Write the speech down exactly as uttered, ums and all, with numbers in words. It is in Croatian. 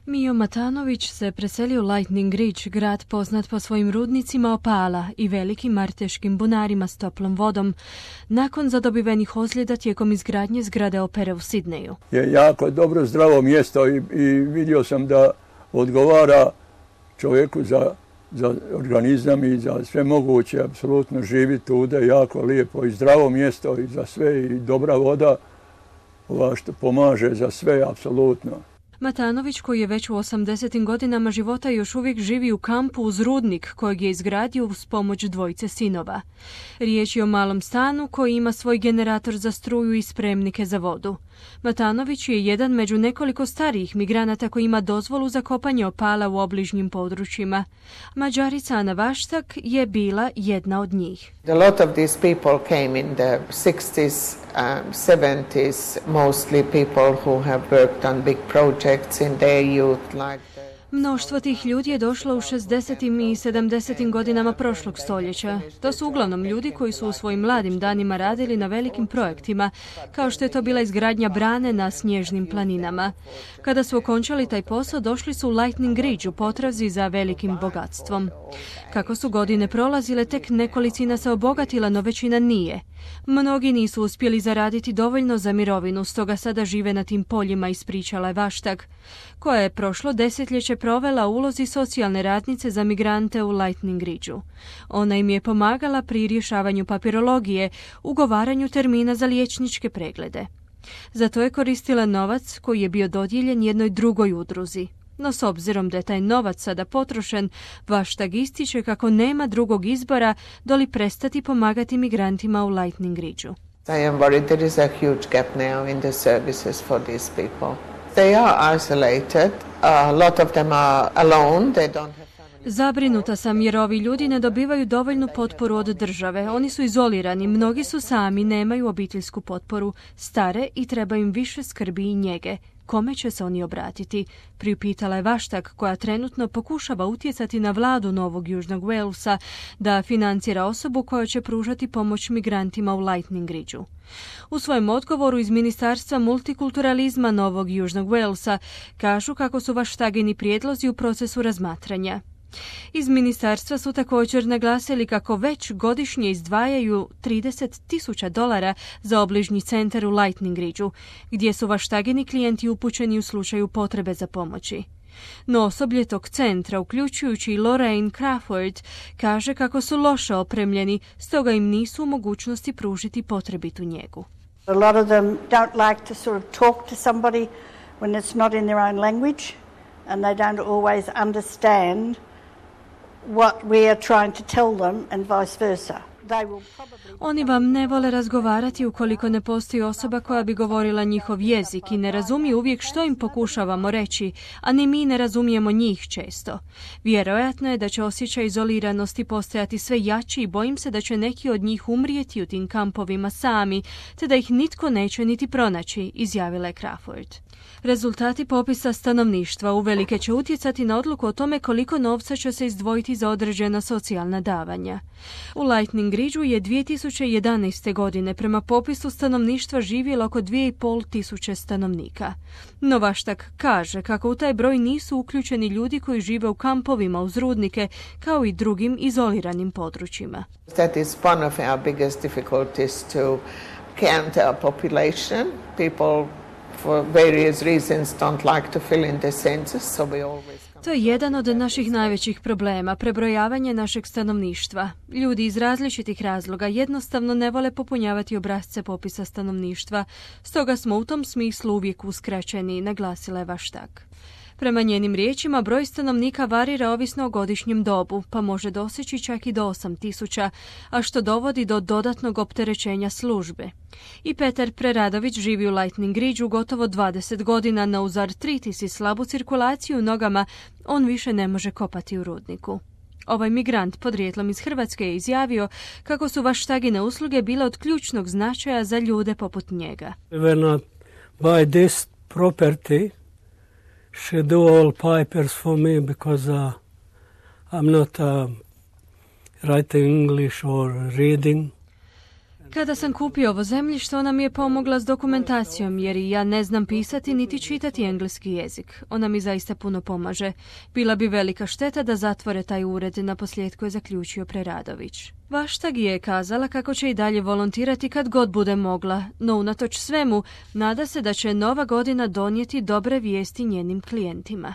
Mijo Matanović se preselio u Lightning Ridge, grad poznat po svojim rudnicima opala i velikim marteškim bunarima s toplom vodom, nakon zadobivenih ozljeda tijekom izgradnje zgrade opere u Sidneju. Je jako dobro, zdravo mjesto i, i vidio sam da odgovara čovjeku za, za organizam i za sve moguće, apsolutno živi tude, jako lijepo i zdravo mjesto i za sve i dobra voda, ova što pomaže za sve, apsolutno. Matanović, koji je već u osamdesetim godinama života još uvijek živi u kampu uz rudnik kojeg je izgradio uz pomoć dvojice sinova. Riječ je o malom stanu koji ima svoj generator za struju i spremnike za vodu. Matanović je jedan među nekoliko starijih migranata koji ima dozvolu za kopanje opala u obližnjim područjima. Mađarica Ana Vaštak je bila jedna od njih. A lot of these people came in the sixties, um, seventies, mostly people who have worked on big projects in their youth like the... Mnoštvo tih ljudi je došlo u šezdesetim i sedamdesetim godinama prošlog stoljeća. To su uglavnom ljudi koji su u svojim mladim danima radili na velikim projektima, kao što je to bila izgradnja brane na snježnim planinama. Kada su okončali taj posao, došli su u Lightning Ridge u potrazi za velikim bogatstvom. Kako su godine prolazile, tek nekolicina se obogatila, no većina nije. Mnogi nisu uspjeli zaraditi dovoljno za mirovinu, stoga sada žive na tim poljima, ispričala je Vaštak, koja je prošlo desetljeće provela u ulozi socijalne radnice za migrante u Lightning Ridgeu. Ona im je pomagala pri rješavanju papirologije, ugovaranju termina za liječničke preglede. Zato je koristila novac koji je bio dodijeljen jednoj drugoj udruzi. No s obzirom da je taj novac sada potrošen, Vaštak ističe kako nema drugog izbora doli prestati pomagati migrantima u Lightning Ridgeu. I am worried there is a huge gap now in the services for these people. They are isolated. A lot of them are alone. They don't have... Zabrinuta sam jer ovi ljudi ne dobivaju dovoljnu potporu od države. Oni su izolirani, mnogi su sami, nemaju obiteljsku potporu, stare i treba im više skrbi i njege. Kome će se oni obratiti? Priupitala je Vaštak, koja trenutno pokušava utjecati na vladu Novog Južnog Walesa da financira osobu koja će pružati pomoć migrantima u Lightning Ridgeu. U svojem odgovoru iz Ministarstva multikulturalizma Novog Južnog Walesa kažu kako su Vaštagini prijedlozi u procesu razmatranja. Iz ministarstva su također naglasili kako već godišnje izdvajaju trideset tisuća dolara za obližnji centar u Lightning Ridgeu, gdje su Vaštagini klijenti upućeni u slučaju potrebe za pomoći. No osoblje tog centra, uključujući i Lorraine Crawford, kaže kako su loše opremljeni, stoga im nisu u mogućnosti pružiti potrebitu njegu. A lot of them don't like to sort of talk to somebody when it's not in their own language, and they don't always understand what we are trying to tell them and vice versa. Oni vam ne vole razgovarati ukoliko ne postoji osoba koja bi govorila njihov jezik i ne razumije uvijek što im pokušavamo reći, a ni mi ne razumijemo njih često. Vjerojatno je da će osjećaj izoliranosti postajati sve jači i bojim se da će neki od njih umrijeti u tim kampovima sami, te da ih nitko neće niti pronaći, izjavila je Crawford. Rezultati popisa stanovništva uvelike će utjecati na odluku o tome koliko novca će se izdvojiti za određena socijalna davanja. U Lightning Ridgeu je dvije tisuće jedanaeste. godine prema popisu stanovništva živjelo oko dvije i pol tisuće stanovnika. No Vaštak kaže kako u taj broj nisu uključeni ljudi koji žive u kampovima uz rudnike, kao i drugim izoliranim područjima. That is one of our biggest difficulties to count our population. People for various reasons don't like to fill in the census, so we always... To je jedan od naših najvećih problema, prebrojavanje našeg stanovništva. Ljudi iz različitih razloga jednostavno ne vole popunjavati obrasce popisa stanovništva, stoga smo u tom smislu uvijek uskraćeni, naglasila je Vaštak. Prema njenim riječima, broj stanovnika varira ovisno o godišnjem dobu, pa može doseći čak i do osam tisuća, a što dovodi do dodatnog opterećenja službe. I Petar Preradović živi u Lightning Ridgeu gotovo dvadeset godina, no uz artritis i slabu cirkulaciju u nogama on više ne može kopati u rudniku. Ovaj migrant podrijetlom iz Hrvatske je izjavio kako su Vaštagine usluge bile od ključnog značaja za ljude poput njega. When I buy this property, she do all papers for me because uh, I'm not uh, writing English or reading. Kada sam kupio ovo zemljište, ona mi je pomogla s dokumentacijom, jer i ja ne znam pisati niti čitati engleski jezik. Ona mi zaista puno pomaže. Bila bi velika šteta da zatvore taj ured, na posljedku je zaključio Preradović. Vaštagi je kazala kako će i dalje volontirati kad god bude mogla, no unatoč svemu, nada se da će nova godina donijeti dobre vijesti njenim klijentima.